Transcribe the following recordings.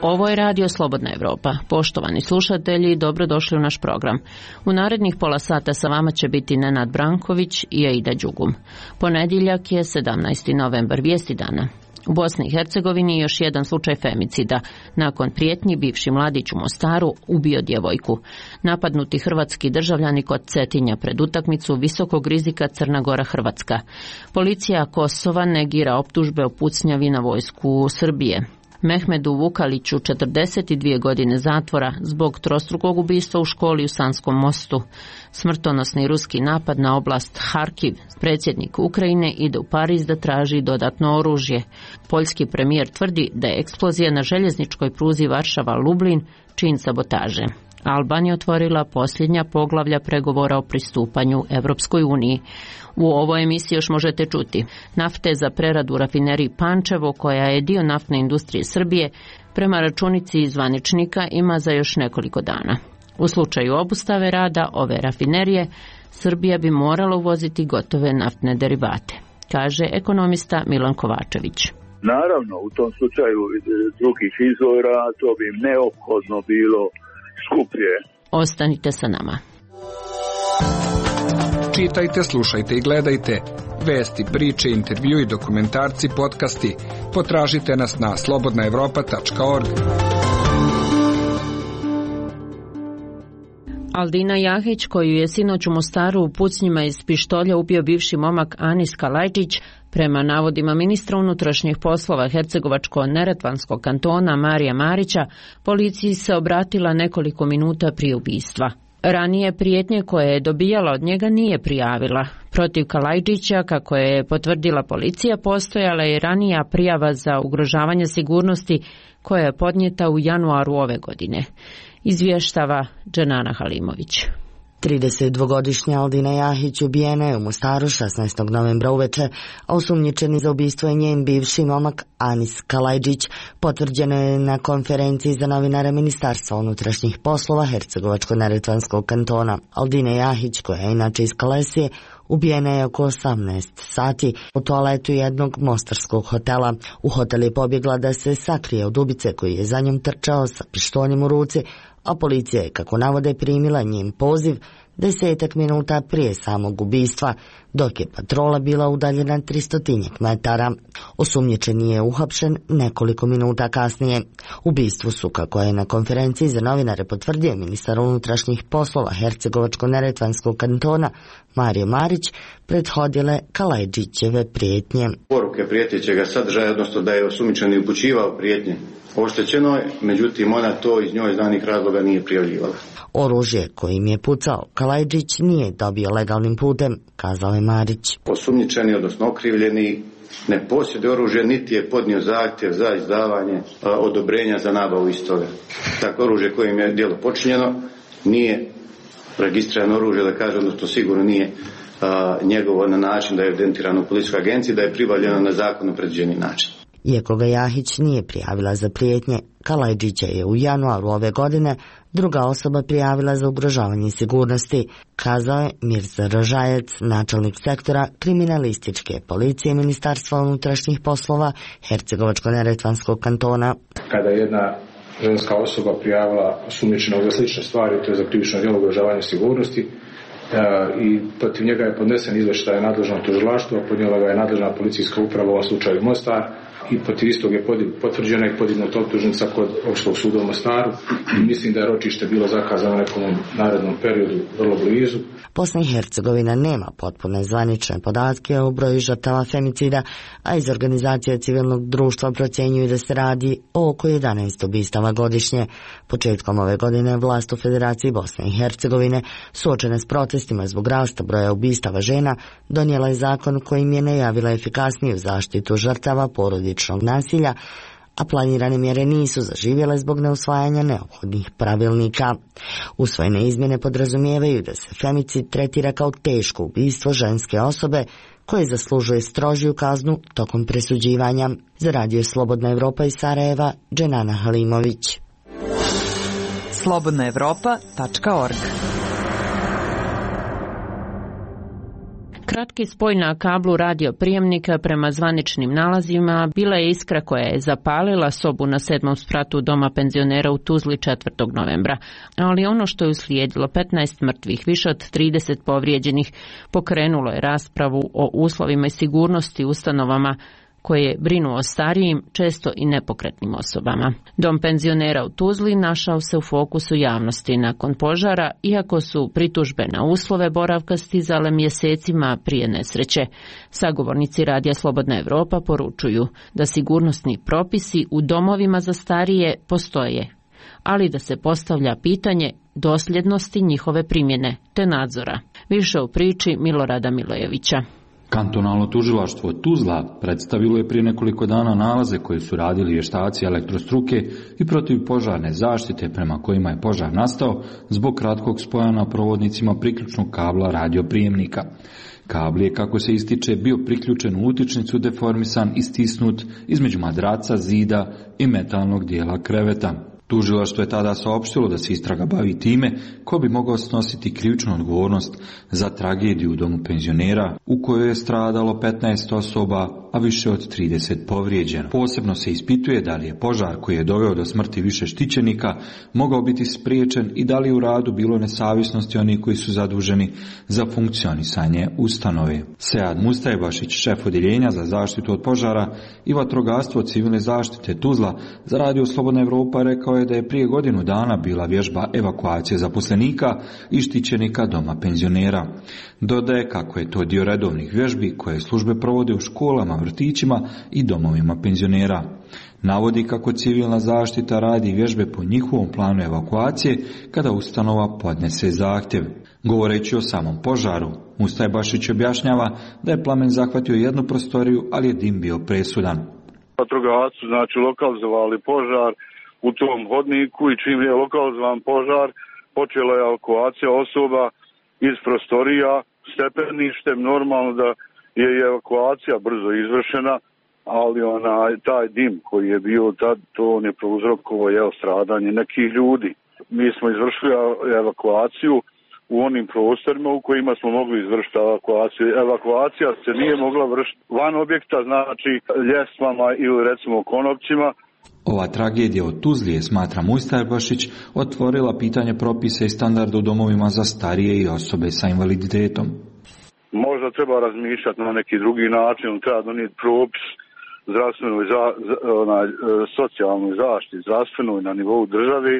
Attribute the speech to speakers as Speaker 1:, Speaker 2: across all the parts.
Speaker 1: Ovo je radio Slobodna Evropa. Poštovani slušatelji, dobrodošli u naš program. U narednih pola sata sa vama će biti Nenad Branković i Aida Đugum. Ponedjeljak je 17. novembar, vijesti dana. U Bosni i Hercegovini još jedan slučaj femicida. Nakon prijetnji bivši mladić u Mostaru ubio djevojku. Napadnuti hrvatski državljani kod Cetinja pred utakmicu visokog rizika Crna Gora-Hrvatska. Policija Kosova negira optužbe o pucnjavi na vojsku Srbije. Mehmedu Vukaliću 42 godine zatvora zbog trostrukog ubistva u školi u Sanskom mostu. Smrtonosni ruski napad na oblast Harkiv. Predsjednik Ukrajine ide u Pariz da traži dodatno oružje. Poljski premijer tvrdi da je eksplozija na željezničkoj pruzi Varšava-Lublin čin sabotaže. Albanija otvorila posljednja poglavlja pregovora o pristupanju Evropskoj uniji. U ovoj emisiji još možete čuti nafte za preradu u rafineriji Pančevo, koja je dio naftne industrije Srbije, prema računici zvaničnika ima za još nekoliko dana. U slučaju obustave rada ove rafinerije, Srbija bi morala uvoziti gotove naftne derivate, kaže ekonomista Milan Kovačević.
Speaker 2: Naravno, u tom slučaju drugih izvora to bi neophodno bilo skuplje.
Speaker 1: Ostanite sa nama.
Speaker 3: Čitajte, slušajte i gledajte vesti, priče, intervju i dokumentarci, podcasti. Potražite nas na slobodnaevropa.org.
Speaker 1: Aldina Jahić, koju je sinoć u Mostaru u pucnjima iz pištolja ubio bivši momak Anis Kalajđić, prema navodima ministra unutrašnjih poslova Hercegovačko-neretvanskog kantona Marija Marića, policiji se obratila nekoliko minuta prije ubistva. Ranije prijetnje koje je dobijala od njega nije prijavila. Protiv Kalajđića, kako je potvrdila policija, postojala je ranija prijava za ugrožavanje sigurnosti koja je podnijeta u januaru ove godine. Izvještava Dženana Halimović.
Speaker 4: 32-godišnja Aldina Jahić ubijena je u Mostaru 16. novembra uveče, a osumnjičeni za ubistvo je njen bivši momak Anis Kalajđić, potvrđeno je na konferenciji za novinare Ministarstva unutrašnjih poslova Hercegovačko-neretvanskog kantona. Aldina Jahić, koja je inače iz Kalesije, ubijena je oko 18 sati u toaletu jednog mostarskog hotela. U hotel je pobjegla da se sakrije od ubice koji je za njom trčao sa pištoljem u ruci, a policija je, kako navode, primila njen poziv 10 minuta prije samog ubistva, dok je patrola bila udaljena 300 metara. Osumnjičeni je uhapšen nekoliko minuta kasnije. Ubistvu su, kako je na konferenciji za novinare potvrdio ministar unutrašnjih poslova Hercegovačko-neretvanskog kantona Mario Marić, prethodile Kalajđićeve prijetnje.
Speaker 5: Poruke prijetećega sadržaja, odnosno da je osumnjičeni upućivao prijetnje oštećeno je, međutim ona to iz njoj znanih razloga nije prijavljivala.
Speaker 4: Oružje kojim je pucao Kalajđić nije dobio legalnim putem, kazao je Marić.
Speaker 5: Osumnjičeni, odnosno okrivljeni, ne posjeduje oružje, niti je podnio zahtjev za izdavanje odobrenja za nabavu istoga. Tako oružje kojim je djelo počinjeno nije registrirano oružje, da kažem, odnosno sigurno nije njegovo na način da je evidentirano u policijskoj agenciji, da je pribavljeno na zakonom predviđeni način.
Speaker 4: Iako ga Jahić nije prijavila za prijetnje, Kalajđića je u januaru ove godine druga osoba prijavila za ugrožavanje sigurnosti, kazao je Mirza Rožajac, načelnik sektora kriminalističke policije Ministarstva unutrašnjih poslova Hercegovačko-neretvanskog kantona.
Speaker 6: Kada je jedna ženska osoba prijavila osumnjičenog za slične stvari, to je za krivično djelo ugrožavanja sigurnosti, i protiv njega je podnesen izvještaj nadležnog tužilaštva, podnijela ga je nadležna policijska uprava, u ovom slučaju Mostar, i protiv istog je potvrđena i podignuta optužnica kod Opštog suda u Mostaru i mislim da je ročište bilo zakazano u nekom narednom periodu vrlo blizu.
Speaker 4: Bosna i Hercegovina nema potpune zvanične podatke o broju žrtava femicida, a iz organizacije civilnog društva procjenjuju da se radi o oko 11 ubistava godišnje. Početkom ove godine vlast u Federaciji Bosne i Hercegovine, suočene s protestima zbog rasta broja ubistava žena, donijela je zakon kojim je najavila efikasniju zaštitu žrtava porodičnog nasilja, a planirane mjere nisu zaživjele zbog neusvajanja neophodnih pravilnika. Usvojene izmjene podrazumijevaju da se femicid tretira kao teško ubistvo ženske osobe koje zaslužuje strožiju kaznu tokom presuđivanja. Za radio Slobodna Evropa iz Sarajeva, Dženana Halimović.
Speaker 7: slobodnaevropa.org.
Speaker 1: Kratki spoj na kablu radioprijemnika prema zvaničnim nalazima bila je iskra koja je zapalila sobu na 7. spratu doma penzionera u Tuzli 4. novembra. Ali ono što je uslijedilo, 15 mrtvih, više od 30 povrijeđenih, pokrenulo je raspravu o uslovima i sigurnosti ustanovama koje brinu o starijim, često i nepokretnim osobama. Dom penzionera u Tuzli našao se u fokusu javnosti nakon požara, iako su pritužbe na uslove boravka stizale mjesecima prije nesreće. Sagovornici Radija Slobodna Evropa poručuju da sigurnosni propisi u domovima za starije postoje, ali da se postavlja pitanje dosljednosti njihove primjene te nadzora. Više u priči Milorada Milojevića.
Speaker 7: Kantonalno tužilaštvo Tuzla predstavilo je prije nekoliko dana nalaze koje su radili vještaci elektrostruke i protivpožarne zaštite prema kojima je požar nastao zbog kratkog spoja na provodnicima priključnog kabla radioprijemnika. Kabel je, kako se ističe, bio priključen u utičnicu, deformisan i stisnut između madraca, zida i metalnog dijela kreveta. Tužilaštvo je tada saopštilo da se istraga bavi time ko bi mogao snositi krivičnu odgovornost za tragediju u domu penzionera u kojoj je stradalo 15 osoba, a više od 30 povrijeđeno. Posebno se ispituje da li je požar koji je doveo do smrti više štićenika mogao biti spriječen i da li je u radu bilo nesavjesnosti onih koji su zaduženi za funkcionisanje ustanove. Sead Mustajbašić, šef odjeljenja za zaštitu od požara i vatrogastvo civilne zaštite Tuzla za Radio Slobodna Evropa, rekao je da je prije godinu dana bila vježba evakuacije zaposlenika i štićenika doma penzionera. Dodaje kako je to dio redovnih vježbi koje službe provode u školama, vrtićima i domovima penzionera. Navodi kako civilna zaštita radi vježbe po njihovom planu evakuacije kada ustanova podnese zahtjev. Govoreći o samom požaru, Mustajbašić objašnjava da je plamen zahvatio jednu prostoriju, ali je dim bio presudan.
Speaker 2: Vatrogasci znači lokalizovali požar u tom hodniku i čim je lokalizovan požar, počela je evakuacija osoba iz prostorija stepeništem. Normalno da je evakuacija brzo izvršena, ali taj dim koji je bio tad, to on je prouzrokovao stradanje nekih ljudi. Mi smo izvršili evakuaciju u onim prostorima u kojima smo mogli izvršiti evakuaciju. Evakuacija se nije mogla vršiti van objekta, znači ljestvama ili recimo konopcima.
Speaker 7: Ova tragedija od Tuzlije, smatra Mustajbašić, otvorila pitanje propisa i standarda u domovima za starije i osobe sa invaliditetom.
Speaker 2: Možda treba razmišljati na neki drugi način, treba donijeti propis zdravstvenoj, socijalnoj zaštiti, zdravstvenoj na nivou države,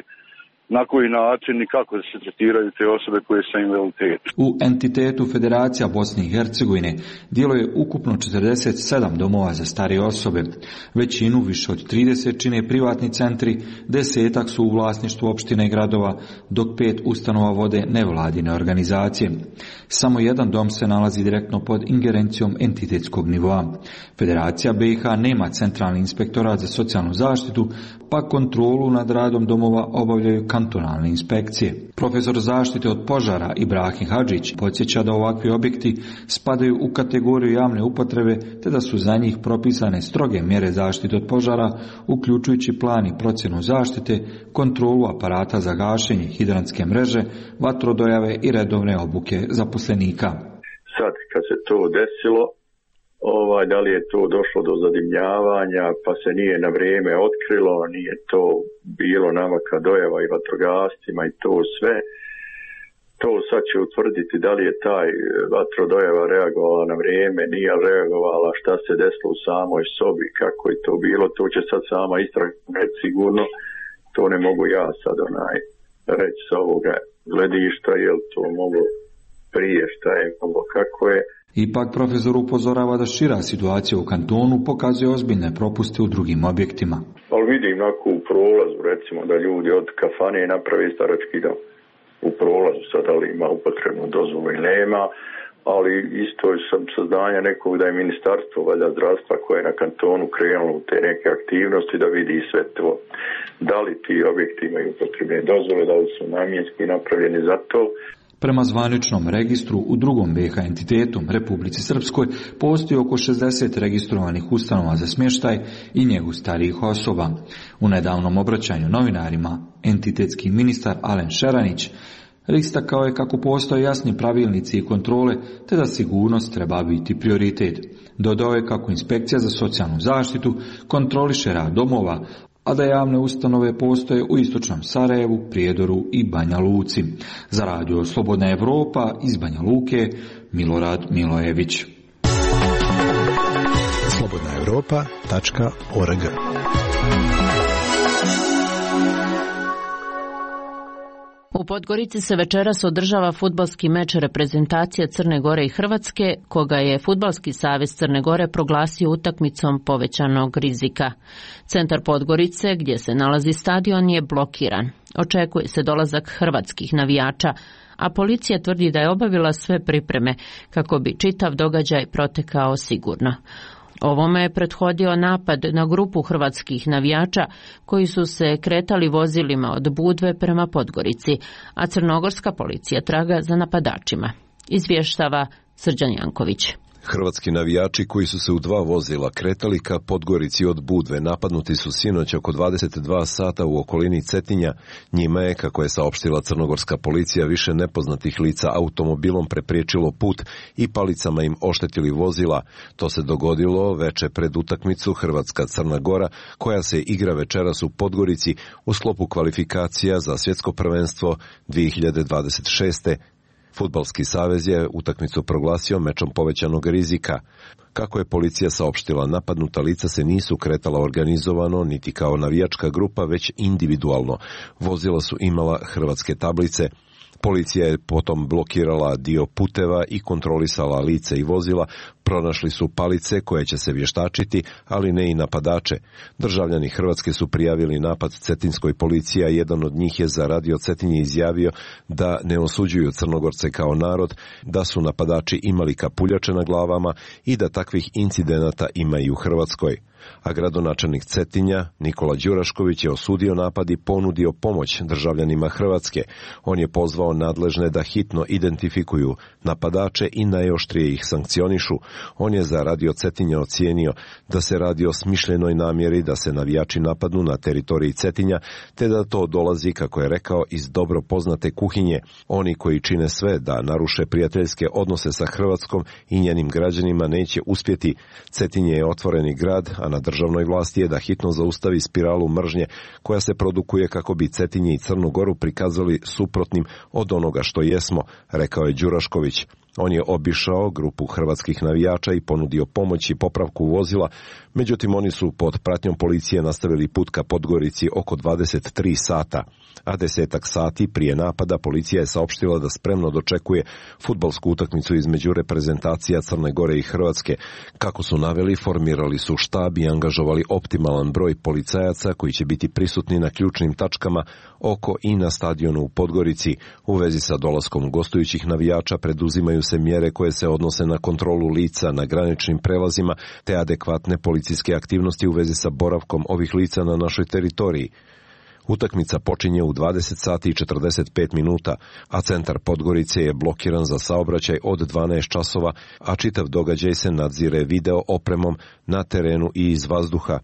Speaker 2: na koji način i kako se tretiraju te osobe koje su invaliditetom.
Speaker 7: U entitetu Federacija Bosne i Hercegovine djeluje ukupno 47 domova za starije osobe. Većinu, više od 30, čine privatni centri, 10 su u vlasništvu opštine i gradova, dok 5 ustanova vode nevladine organizacije. Samo jedan dom se nalazi direktno pod ingerencijom entitetskog nivoa. Federacija BiH nema centralni inspektorat za socijalnu zaštitu, pa kontrolu nad radom domova obavljaju kantonalne inspekcije. Profesor zaštite od požara Ibrahim Hadžić podsjeća da ovakvi objekti spadaju u kategoriju javne upotrebe, te da su za njih propisane stroge mjere zaštite od požara, uključujući plan i procjenu zaštite, kontrolu aparata za gašenje, hidrantske mreže, vatrodojave i redovne obuke zaposlenika.
Speaker 2: Sad, kad se to desilo, da li je to došlo do zadimljavanja, pa se nije na vrijeme otkrilo, nije to bilo namaka dojava i vatrogascima i to sve. To sad će utvrditi da li je taj vatrodojava reagovala na vrijeme, nije reagovala, šta se desilo u samoj sobi, kako je to bilo, to će sad sama istraga sigurno. To ne mogu ja sad reći sa ovoga gledišta, jel to moglo prije, šta je moglo, kako je.
Speaker 7: Ipak profesor upozorava da šira situacija u kantonu pokazuje ozbiljne propuste u drugim objektima.
Speaker 2: Ali vidim u prolazu, recimo da ljudi od kafane naprave starački dom. U prolazu sad ali ima upotrebnu dozvolu i nema, ali isto sam saznanja nekog da je ministarstvo zdravstva koje je na kantonu krenulo u te neke aktivnosti da vidi sve to. Da li ti objekti imaju upotrebne dozvole, da li su namjenski napravljeni za to.
Speaker 7: Prema zvaničnom registru u drugom BiH entitetu, Republici Srpskoj, postoji oko 60 registrovanih ustanova za smještaj i njegu starijih osoba. U nedavnom obraćanju novinarima, entitetski ministar Alen Šeranić Istakao je kako postoje jasni pravilnici i kontrole, te da sigurnost treba biti prioritet. Dodao je kako Inspekcija za socijalnu zaštitu kontroliše rad domova, a da javne ustanove postoje u istočnom Sarajevu, Prijedoru i Banja Luci. Za radio Slobodna Evropa iz Banja Luke, Milorad Milojević.
Speaker 8: slobodnaevropa.org.
Speaker 1: U Podgorici se večeras održava fudbalski meč reprezentacije Crne Gore i Hrvatske, koga je Fudbalski savez Crne Gore proglasio utakmicom povećanog rizika. Centar Podgorice, gdje se nalazi stadion, je blokiran. Očekuje se dolazak hrvatskih navijača, a policija tvrdi da je obavila sve pripreme kako bi čitav događaj protekao sigurno. Ovome je prethodio napad na grupu hrvatskih navijača koji su se kretali vozilima od Budve prema Podgorici, a crnogorska policija traga za napadačima. Izvještava Srđan Janković.
Speaker 9: Hrvatski navijači koji su se u 2 vozila kretali ka Podgorici od Budve napadnuti su sinoć oko 22 sata u okolini Cetinja. Njima je, kako je saopštila crnogorska policija, više nepoznatih lica automobilom prepriječilo put i palicama im oštetili vozila. To se dogodilo veče pred utakmicu Hrvatska-Crna Gora, koja se igra večeras u Podgorici u sklopu kvalifikacija za svjetsko prvenstvo 2026. Fudbalski savez je utakmicu proglasio mečom povećanog rizika. Kako je policija saopštila, napadnuta lica se nisu kretala organizovano niti kao navijačka grupa, već individualno. Vozila su imala hrvatske tablice. Policija je potom blokirala dio puteva i kontrolisala lice i vozila. Pronašli su palice koje će se vještačiti, ali ne i napadače. Državljani Hrvatske su prijavili napad cetinskoj policiji, a jedan od njih je za radio Cetinje izjavio da ne osuđuju Crnogorce kao narod, da su napadači imali kapuljače na glavama i da takvih incidenata ima i u Hrvatskoj. A gradonačelnik Cetinja, Nikola Đurašković, je osudio napad i ponudio pomoć državljanima Hrvatske. On je pozvao nadležne da hitno identifikuju napadače i najoštrije ih sankcionišu. On je za radio Cetinja ocijenio da se radi o smišljenoj namjeri da se navijači napadnu na teritoriji Cetinja, te da to dolazi, kako je rekao, iz dobro poznate kuhinje. Oni koji čine sve da naruše prijateljske odnose sa Hrvatskom i njenim građanima neće uspjeti. Cetinje je otvoreni grad, a na državnoj vlasti je da hitno zaustavi spiralu mržnje koja se produkuje kako bi Cetinje i Crnu Goru prikazali suprotnim od onoga što jesmo, rekao je Đurašković. On je obišao grupu hrvatskih navijača i ponudio pomoć i popravku vozila, međutim oni su pod pratnjom policije nastavili put ka Podgorici oko 23 sata. A 10 sati prije napada policija je saopštila da spremno dočekuje fudbalsku utakmicu između reprezentacija Crne Gore i Hrvatske. Kako su naveli, formirali su štab i angažovali optimalan broj policajaca koji će biti prisutni na ključnim tačkama oko i na stadionu u Podgorici. U vezi sa dolaskom gostujućih navijača preduzimaju se mjere koje se odnose na kontrolu lica na graničnim prelazima te adekvatne policijske aktivnosti u vezi sa boravkom ovih lica na našoj teritoriji. Utakmica počinje u 20 sati i 45 minuta, a centar Podgorice je blokiran za saobraćaj od 12 časova, a čitav događaj se nadzire video opremom na terenu i iz vazduha.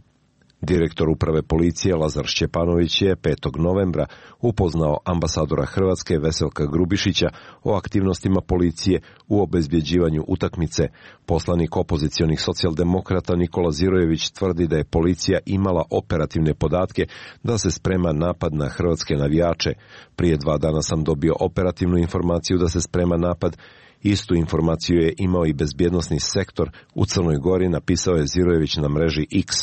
Speaker 9: Direktor uprave policije Lazar Šćepanović je 5. novembra upoznao ambasadora Hrvatske Veselka Grubišića o aktivnostima policije u obezbjeđivanju utakmice. Poslanik opozicionih socijaldemokrata Nikola Zirojević tvrdi da je policija imala operativne podatke da se sprema napad na hrvatske navijače. Prije 2 dana sam dobio operativnu informaciju da se sprema napad. Istu informaciju je imao i bezbjednosni sektor u Crnoj Gori, napisao je Zirojević na mreži X.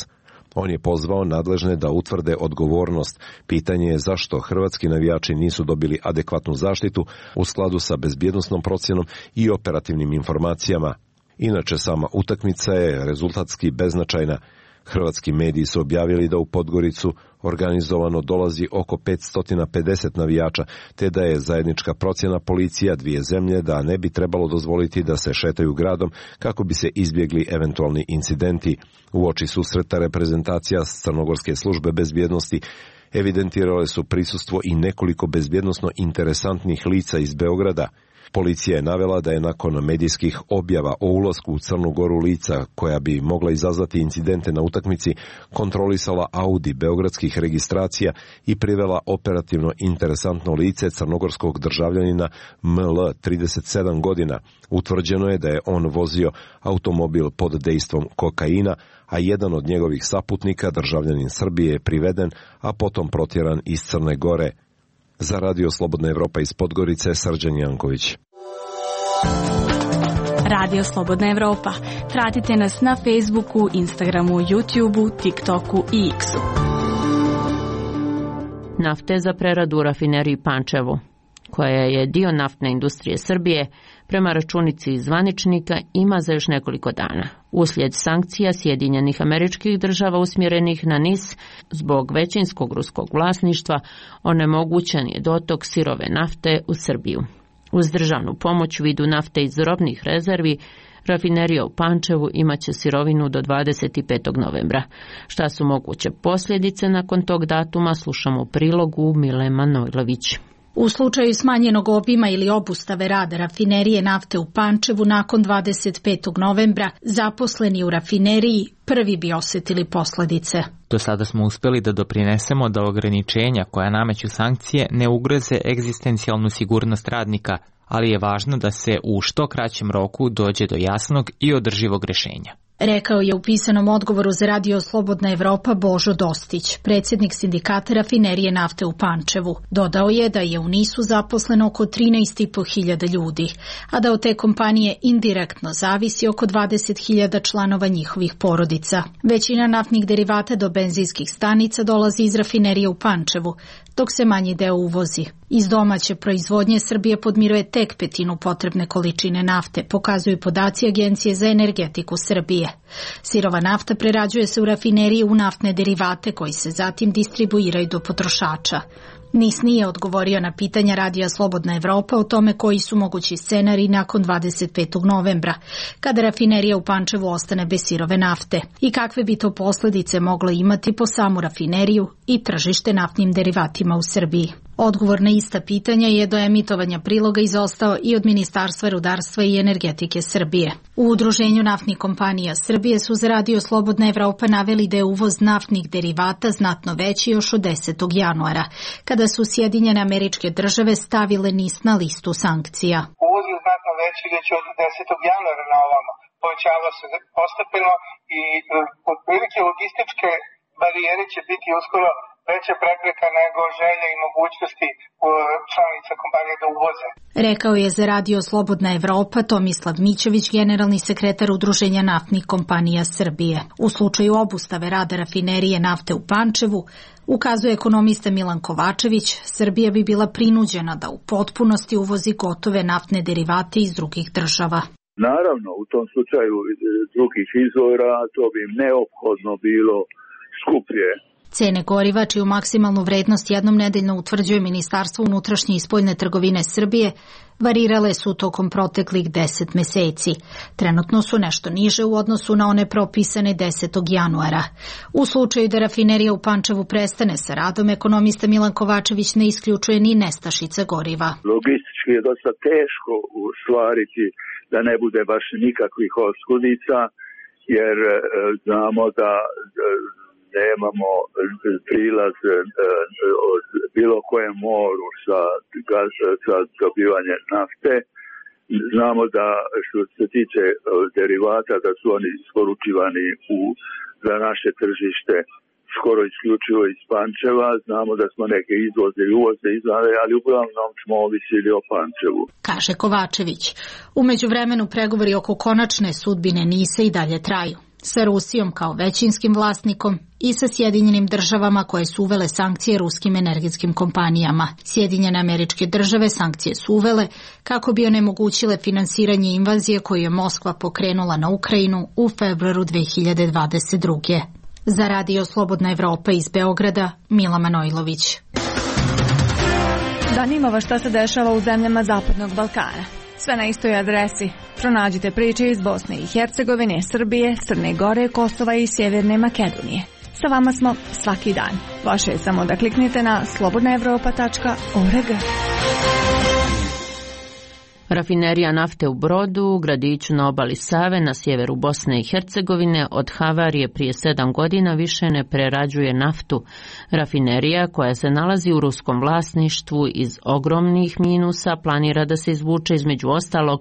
Speaker 9: On je pozvao nadležne da utvrde odgovornost. Pitanje je zašto hrvatski navijači nisu dobili adekvatnu zaštitu u skladu sa bezbjednosnom procjenom i operativnim informacijama. Inače, sama utakmica je rezultatski beznačajna. Hrvatski mediji su objavili da u Podgoricu organizovano dolazi oko 550 navijača, te da je zajednička procjena policija dvije zemlje da ne bi trebalo dozvoliti da se šetaju gradom kako bi se izbjegli eventualni incidenti. Uoči susreta reprezentacija Crnogorske službe bezbjednosti evidentirale su prisustvo i nekoliko bezbjednosno interesantnih lica iz Beograda. Policija je navela da je nakon medijskih objava o ulasku u Crnu Goru lica koja bi mogla izazvati incidente na utakmici kontrolisala Audi beogradskih registracija i privela operativno interesantno lice crnogorskog državljanina ML 37 godina. Utvrđeno je da je on vozio automobil pod dejstvom kokaina, a jedan od njegovih saputnika, državljanin Srbije, je priveden, a potom protjeran iz Crne Gore. Za Radio Slobodna Evropa iz Podgorice, Srđan Janković.
Speaker 8: Radio Slobodna Evropa. Pratite nas na Facebooku, Instagramu, YouTubeu, TikToku i X-u.
Speaker 1: Nafte za preradu u rafineriji Pančevo, koja je dio naftne industrije Srbije, prema računici zvaničnika ima za još nekoliko dana. Uslijed sankcija Sjedinjenih Američkih Država usmjerenih na NIS zbog većinskog ruskog vlasništva, onemogućen je dotok sirove nafte u Srbiju. Uz državnu pomoć u vidu nafte iz robnih rezervi, rafinerija u Pančevu imaće sirovinu do 25. novembra. Šta su moguće posljedice nakon tog datuma, slušamo u prilogu Mile Manojlović.
Speaker 10: U slučaju smanjenog obima ili obustave rada rafinerije nafte u Pančevu nakon 25. novembra, zaposleni u rafineriji prvi bi osjetili posljedice.
Speaker 11: Do sada smo uspjeli da doprinesemo da ograničenja koja nameću sankcije ne ugroze egzistencijalnu sigurnost radnika, ali je važno da se u što kraćem roku dođe do jasnog i održivog rješenja.
Speaker 10: Rekao je u pisanom odgovoru za Radio Slobodna Evropa Božo Dostić, predsjednik sindikata rafinerije nafte u Pančevu. Dodao je da je u NIS-u zaposleno oko 13.500 ljudi, a da od te kompanije indirektno zavisi oko 20.000 članova njihovih porodica. Većina naftnih derivata do benzinskih stanica dolazi iz rafinerije u Pančevu, dok se manji deo uvozi. Iz domaće proizvodnje Srbija podmiruje tek petinu potrebne količine nafte, pokazuju podaci Agencije za energetiku Srbije. Sirova nafta prerađuje se u rafineriji u naftne derivate koji se zatim distribuiraju do potrošača. NIS nije odgovorio na pitanja Radija Slobodna Evropa o tome koji su mogući scenariji nakon 25. novembra, kada rafinerija u Pančevu ostane bez sirove nafte i kakve bi to posljedice moglo imati po samu rafineriju i tržište naftnim derivatima u Srbiji. Odgovor na ista pitanja je do emitovanja priloga izostao i od Ministarstva rudarstva i energetike Srbije. U Udruženju naftnih kompanija Srbije su za Radio Slobodna Evropa naveli da je uvoz naftnih derivata znatno veći još od 10. januara, kada su Sjedinjene Američke Države stavile NIS na listu sankcija.
Speaker 12: Uvoz je znatno veći već od 10. januara na ovamo. Povećava se postepeno i otprilike logističke barijere će biti uskoro veća prepreka nego želja i mogućnosti članica kompanije da uvoze.
Speaker 10: Rekao je za Radio Slobodna Evropa Tomislav Mićević, generalni sekretar Udruženja naftnih kompanija Srbije. U slučaju obustave rada rafinerije nafte u Pančevu, ukazuje ekonomista Milan Kovačević, Srbija bi bila prinuđena da u potpunosti uvozi gotove naftne derivate iz drugih država.
Speaker 2: Naravno, u tom slučaju drugih izvora to bi neophodno bilo skuplje.
Speaker 10: Cene goriva, čiju maksimalnu vrednost jednom nedeljno utvrđuje Ministarstvo unutrašnje i spoljne trgovine Srbije, varirale su tokom proteklih 10 meseci. Trenutno su nešto niže u odnosu na one propisane 10. januara. U slučaju da rafinerija u Pančevu prestane sa radom, ekonomista Milan Kovačević ne isključuje ni nestašica goriva.
Speaker 2: Logistički je dosta teško ostvariti da ne bude baš nikakvih oskudica, jer znamo da nemamo prilaz od bilo kojem moru sa dobivanje nafte. Znamo da što se tiče derivata da su oni isporučivani za naše tržište skoro isključivo iz Pančeva. Znamo da smo neke izvoze i uvoze izvale, ali uglavnom smo ovisili o Pančevu.
Speaker 10: Kaže Kovačević. U međuvremenu pregovori oko konačne sudbine NIS-a i dalje traju. Sa Rusijom kao većinskim vlasnikom i sa Sjedinjenim Državama koje su uvele sankcije ruskim energetskim kompanijama. Sjedinjene Američke Države sankcije su uvele kako bi onemogućile finansiranje invazije koju je Moskva pokrenula na Ukrajinu u februaru 2022. Za Radio Slobodna Evropa iz Beograda, Mila Manojlović.
Speaker 8: Zanima vas šta se dešava u zemljama Zapadnog Balkana. Sve na istoj adresi. Pronađite priče iz Bosne i Hercegovine, Srbije, Crne Gore, Kosova i Sjeverne Makedonije. Sa vama smo svaki dan. Vaše je samo da kliknete na slobodnaevropa.org.
Speaker 1: Rafinerija nafte u Brodu, gradiću na obali Save na sjeveru Bosne i Hercegovine, od havarije prije 7 godina više ne prerađuje naftu. Rafinerija, koja se nalazi u ruskom vlasništvu, iz ogromnih minusa planira da se izvuče između ostalog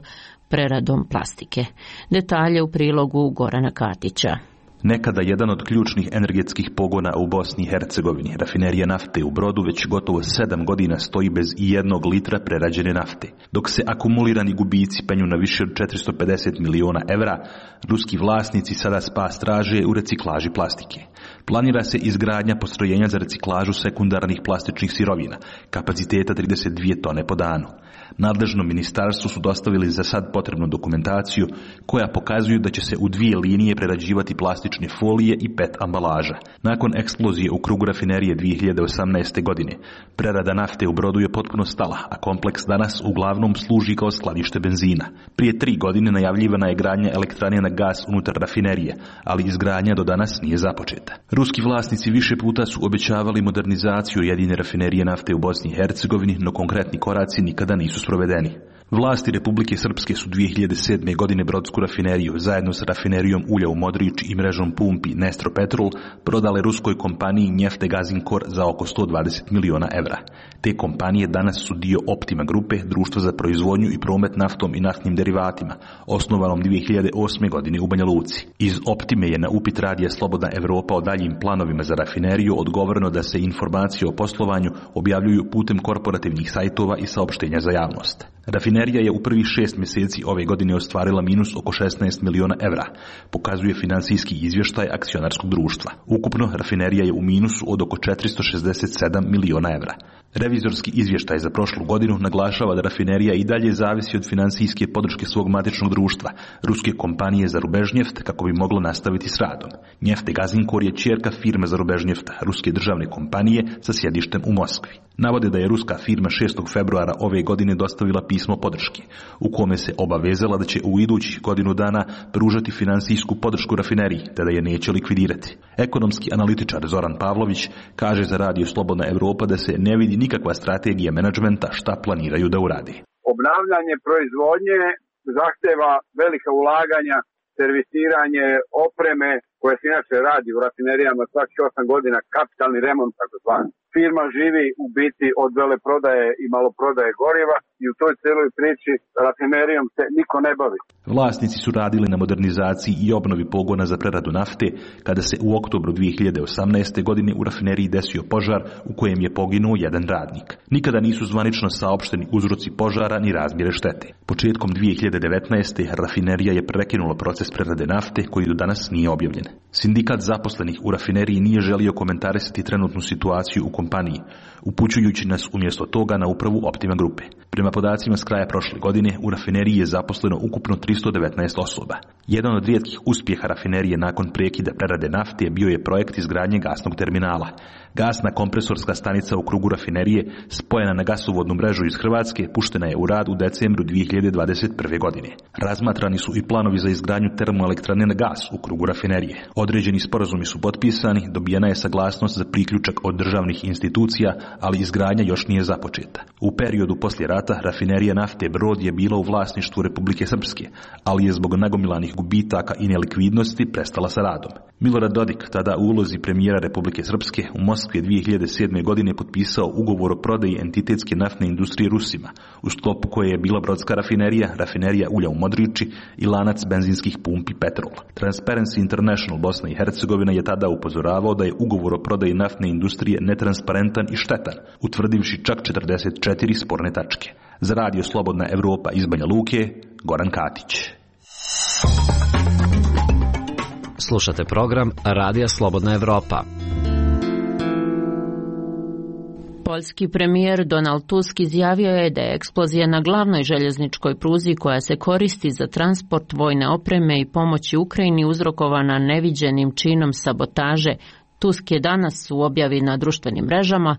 Speaker 1: preradom plastike. Detalje u prilogu Gorana Katića.
Speaker 13: Nekada jedan od ključnih energetskih pogona u Bosni i Hercegovini, rafinerija nafte u Brodu, već gotovo 7 godina stoji bez i 1 litra prerađene nafte. Dok se akumulirani gubici penju na više od 450 miliona evra, ruski vlasnici sada spas traže u reciklaži plastike. Planira se izgradnja postrojenja za reciklažu sekundarnih plastičnih sirovina, kapaciteta 32 tone po danu. Nadležnom ministarstvu su dostavili za sad potrebnu dokumentaciju koja pokazuju da će se u 2 linije prerađivati plastične folije i PET ambalaža. Nakon eksplozije u krugu rafinerije 2018. godine, prerada nafte u Brodu je potpuno stala, a kompleks danas uglavnom služi kao skladište benzina. Prije 3 godine najavljivana je gradnja elektrane na gas unutar rafinerije, ali izgradnja do danas nije započeta. Ruski vlasnici više puta su obećavali modernizaciju jedine rafinerije nafte u Bosni i Hercegovini, no konkretni koraci nikada nisu sprovedeni. Vlasti Republike Srpske su 2007. godine brodsku rafineriju zajedno sa rafinerijom ulja u Modriči i mrežom pumpi Nestropetrol prodale ruskoj kompaniji Neftegazinkor za oko 120 miliona evra. Te kompanije danas su dio Optima grupe, društva za proizvodnju i promet naftom i naftnim derivatima, osnovanom 2008. godine u Banja Luci. Iz Optime je na upit radija Slobodna Evropa o daljim planovima za rafineriju odgovoreno da se informacije o poslovanju objavljuju putem korporativnih sajtova i saopštenja za javnost. Rafinerija je u prvih 6 mjeseci ove godine ostvarila minus oko 16 miliona evra, pokazuje finansijski izvještaj akcionarskog društva. Ukupno, rafinerija je u minusu od oko 467 miliona evra. Revizorski izvještaj za prošlu godinu naglašava da rafinerija i dalje zavisi od finansijske podrške svog matičnog društva, ruske kompanije Zarubežnjeft, kako bi moglo nastaviti s radom. Neftegazinkor je ćerka firme Zarubežnjefta, ruske državne kompanije sa sjedištem u Moskvi. Navode da je ruska firma 6. februara ove godine dostavila pismo podrške, u kome se obavezala da će u idućih godinu dana pružati finansijsku podršku rafineriji, te da je neće likvidirati. Ekonomski analitičar Zoran Pavlović kaže za radio Slobodna Evropa da se ne vidi nikakva strategija menadžmenta šta planiraju da uradi.
Speaker 14: Obnavljanje proizvodnje zahteva velika ulaganja, servisiranje opreme koje se inače radi u rafinerijama svakih 8 godina, kapitalni remont takozvani. Firma živi u biti od veleprodaje i maloprodaje goriva i u toj celoj priči rafinerijom se niko ne bavi.
Speaker 13: Vlasnici su radili na modernizaciji i obnovi pogona za preradu nafte kada se u oktobru 2018. godine u rafineriji desio požar u kojem je poginuo jedan radnik. Nikada nisu zvanično saopšteni uzroci požara ni razmjere štete. Početkom 2019. rafinerija je prekinula proces prerade nafte koji do danas nije objavljen. Sindikat zaposlenih u rafineriji nije želio komentarisati trenutnu situaciju u kompaniji, upućujući nas umjesto toga na upravu Optima grupe. Prema podacima s kraja prošle godine, u rafineriji je zaposleno ukupno 319 osoba. Jedan od rijetkih uspjeha rafinerije nakon prekida prerade nafte bio je projekt izgradnje gasnog terminala. Gasna kompresorska stanica u krugu rafinerije, spojena na gasovodnu mrežu iz Hrvatske, puštena je u rad u decembru 2021. godine. Razmatrani su i planovi za izgradnju termoelektrane na gas u krugu rafinerije. Određeni sporazumi su potpisani, dobijena je saglasnost za priključak od državnih institucija, ali izgradnja još nije započeta. U periodu poslije rata rafinerija nafte Brod je bila u vlasništvu Republike Srpske, ali je zbog nagomilanih gubitaka i nelikvidnosti prestala sa radom. Milorad Dodik, tada u ulozi premijera Republike Srpske, u Moskvi 2007. godine potpisao ugovor o prodaji entitetske naftne industrije Rusima, u sklopu koje je bila brodska rafinerija, rafinerija ulja u Modriči i lanac benzinskih pumpi Petrol. Transparency International Bosna i Hercegovina je tada upozoravao da je ugovor o prodaji naftne industrije netransparentan i štetan, utvrdivši čak 44 sporne tačke. Za radio Slobodna Evropa iz Banja Luke, Goran Katić.
Speaker 15: Slušate program Radija Slobodna Evropa.
Speaker 1: Poljski premijer Donald Tusk izjavio je da je eksplozija na glavnoj željezničkoj pruzi koja se koristi za transport vojne opreme i pomoći Ukrajini uzrokovana neviđenim činom sabotaže. Tusk je danas u objavi na društvenim mrežama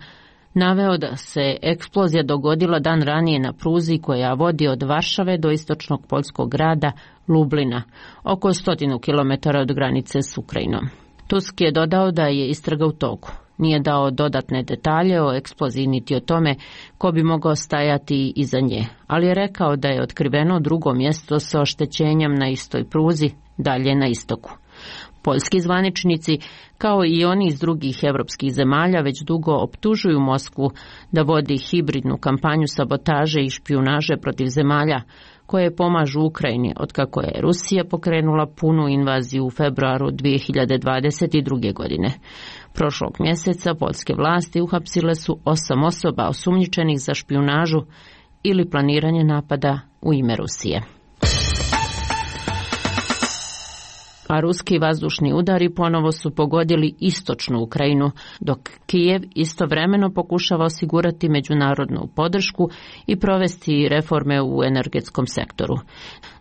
Speaker 1: naveo da se eksplozija dogodila dan ranije na pruzi koja vodi od Varšave do istočnog poljskog grada Lublina, oko 100 km od granice s Ukrajinom. Tusk je dodao da je istraga u toku. nije dao dodatne detalje o eksploziji niti o tome ko bi mogao stajati iza nje, ali je rekao da je otkriveno drugo mjesto sa oštećenjem na istoj pruzi, dalje na istoku. Poljski zvaničnici, kao i oni iz drugih evropskih zemalja, već dugo optužuju Moskvu da vodi hibridnu kampanju sabotaže i špijunaže protiv zemalja koje pomažu Ukrajini otkako je Rusija pokrenula punu invaziju u februaru 2022. godine. Prošlog mjeseca poljske vlasti uhapsile su 8 osoba osumnjičenih za špijunažu ili planiranje napada u ime Rusije. A ruski vazdušni udari ponovo su pogodili istočnu Ukrajinu, dok Kijev istovremeno pokušava osigurati međunarodnu podršku i provesti reforme u energetskom sektoru.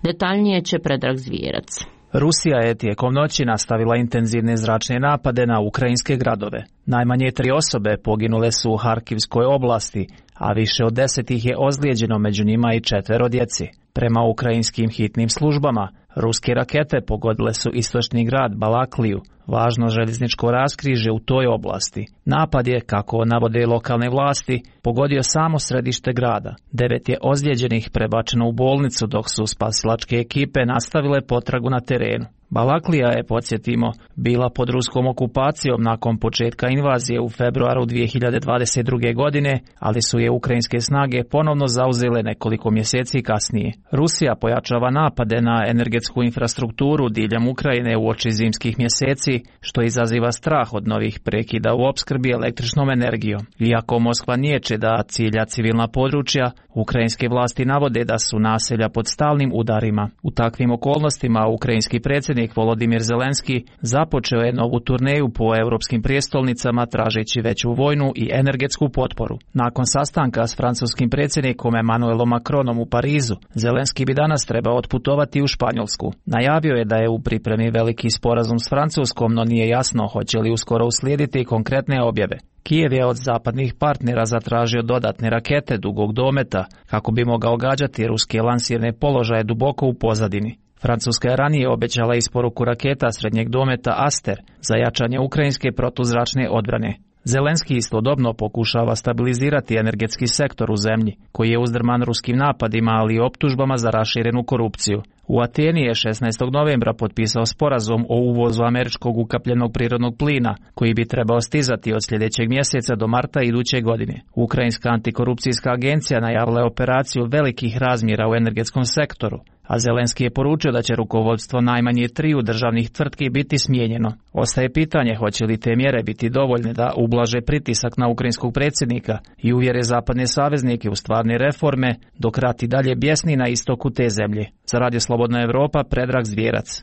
Speaker 1: Detaljnije će Predrag Zvijerac.
Speaker 16: Rusija je tijekom noći nastavila intenzivne zračne napade na ukrajinske gradove. Najmanje 3 osobe poginule su u Harkivskoj oblasti, a više od 10 ih je ozlijeđeno, među njima i 4 djeci. Prema ukrajinskim hitnim službama, ruske rakete pogodile su istočni grad Balakliju, važno željezničko raskrižje u toj oblasti. Napad je, kako navode lokalne vlasti, pogodio samo središte grada. 9 je ozlijeđenih prebačeno u bolnicu, dok su spasilačke ekipe nastavile potragu na terenu. Balaklija je, podsjetimo, bila pod ruskom okupacijom nakon početka invazije u februaru 2022. godine, ali su je ukrajinske snage ponovno zauzele nekoliko mjeseci kasnije. Rusija pojačava napade na energetsku infrastrukturu diljem Ukrajine uoči zimskih mjeseci, što izaziva strah od novih prekida u opskrbi električnom energijom. Iako Moskva niječe da cilja civilna područja, ukrajinske vlasti navode da su naselja pod stalnim udarima. U takvim okolnostima ukrajinski predsjednik Volodimir Zelenski započeo je novu turneju po europskim prijestolnicama tražeći veću vojnu i energetsku potporu. Nakon sastanka s francuskim predsjednikom Emmanuelom Macronom u Parizu, Zelenski bi danas trebao otputovati u Španjolsku. Najavio je da je u pripremi veliki sporazum s Francuskom, no nije jasno hoće li uskoro uslijediti konkretne objave. Kijev je od zapadnih partnera zatražio dodatne rakete dugog dometa kako bi mogao gađati ruske lansirne položaje duboko u pozadini. Francuska je ranije obećala isporuku raketa srednjeg dometa Aster za jačanje ukrajinske protuzračne odbrane. Zelenski istodobno pokušava stabilizirati energetski sektor u zemlji, koji je uzdrman ruskim napadima, ali i optužbama za raširenu korupciju. U Ateni je 16. novembra potpisao sporazum o uvozu američkog ukapljenog prirodnog plina, koji bi trebao stizati od sljedećeg mjeseca do marta iduće godine. Ukrajinska antikorupcijska agencija najavila je operaciju velikih razmjera u energetskom sektoru, a Zelenski je poručio da će rukovodstvo najmanje 3 državnih tvrtki biti smijenjeno. Ostaje pitanje hoće li te mjere biti dovoljne da ublaže pritisak na ukrajinskog predsjednika i uvjere zapadne saveznike u stvarne reforme, dok rat i dalje bjesni na istoku te zemlje. Za Radio Slobodna Evropa, Predrag Zvijerac.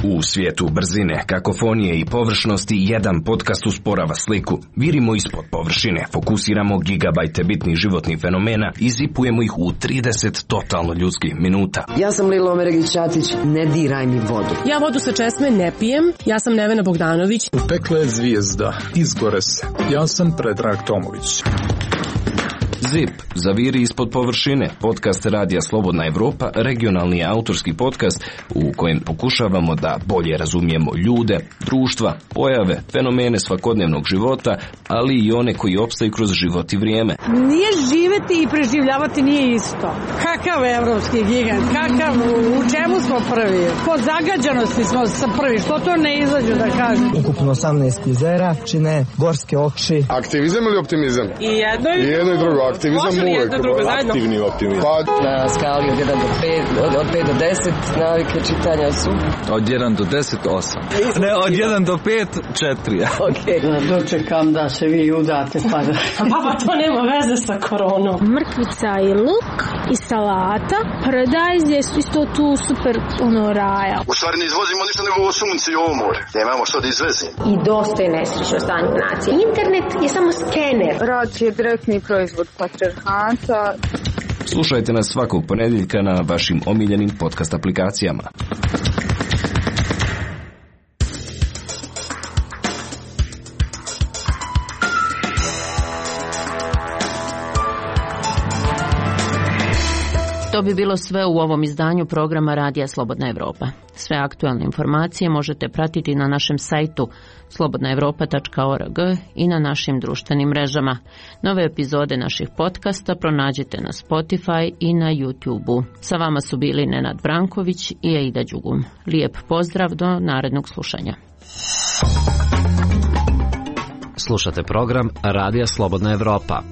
Speaker 17: U svijetu brzine, kakofonije i površnosti jedan podcast usporava sliku. Virimo ispod površine, fokusiramo gigabajte bitnih životnih fenomena i zipujemo ih u 30 totalno ljudskih minuta.
Speaker 18: Ja sam Lilo Omeregić-Ćatić, ne diraj mi vodu.
Speaker 19: Ja vodu sa česme ne pijem, ja sam Nevena Bogdanović.
Speaker 3: Upekla je zvijezda, izgore se. Ja sam Predrag Tomović.
Speaker 17: ZIP, zaviri ispod površine, podcast Radija Slobodna Evropa, regionalni autorski podcast u kojem pokušavamo da bolje razumijemo ljude, društva, pojave, fenomene svakodnevnog života, ali i one koji opstaju kroz život i vrijeme.
Speaker 20: Nije živeti i preživljavati nije isto. Kakav evropski gigant, kakav, u čemu smo prvi? Po zagađanosti smo prvi, što to ne izađu da kažem?
Speaker 21: Ukupno 18 jezera čine gorske oči.
Speaker 22: Aktivizam ili optimizam?
Speaker 20: I jedno i
Speaker 22: drugo. Aktivizam uvijek, aktivni optimizam.
Speaker 23: Na skali od 1 do 5, od 5 do 10 navike čitanja su?
Speaker 24: Od 1 do 10, 8. Ne, od 1 do 5, 4.
Speaker 25: Ok. Dočekam da se vi udate pa da...
Speaker 20: Pa to nema veze sa koronom.
Speaker 26: Mrkvica i luk i salata. Paradajz je isto tu super raja.
Speaker 27: U stvari ne izvozimo ništa nego ovo sunce i ovo more. Nemamo što da izvezimo.
Speaker 28: I dosta je nesrećno stanje nacije. Internet je samo skener.
Speaker 29: Rad je direktni proizvod patrijarhata.
Speaker 17: Slušajte nas svakog ponedjeljka na vašim omiljenim podcast aplikacijama.
Speaker 1: To bi bilo sve u ovom izdanju programa Radija Slobodna Evropa. Sve aktualne informacije možete pratiti na našem sajtu slobodnaevropa.org i na našim društvenim mrežama. Nove epizode naših podcasta pronađite na Spotify i na YouTube-u. Sa vama su bili Nenad Branković i Aida Đugum. Lijep pozdrav do narednog slušanja.
Speaker 15: Slušate program Radija Slobodna Evropa.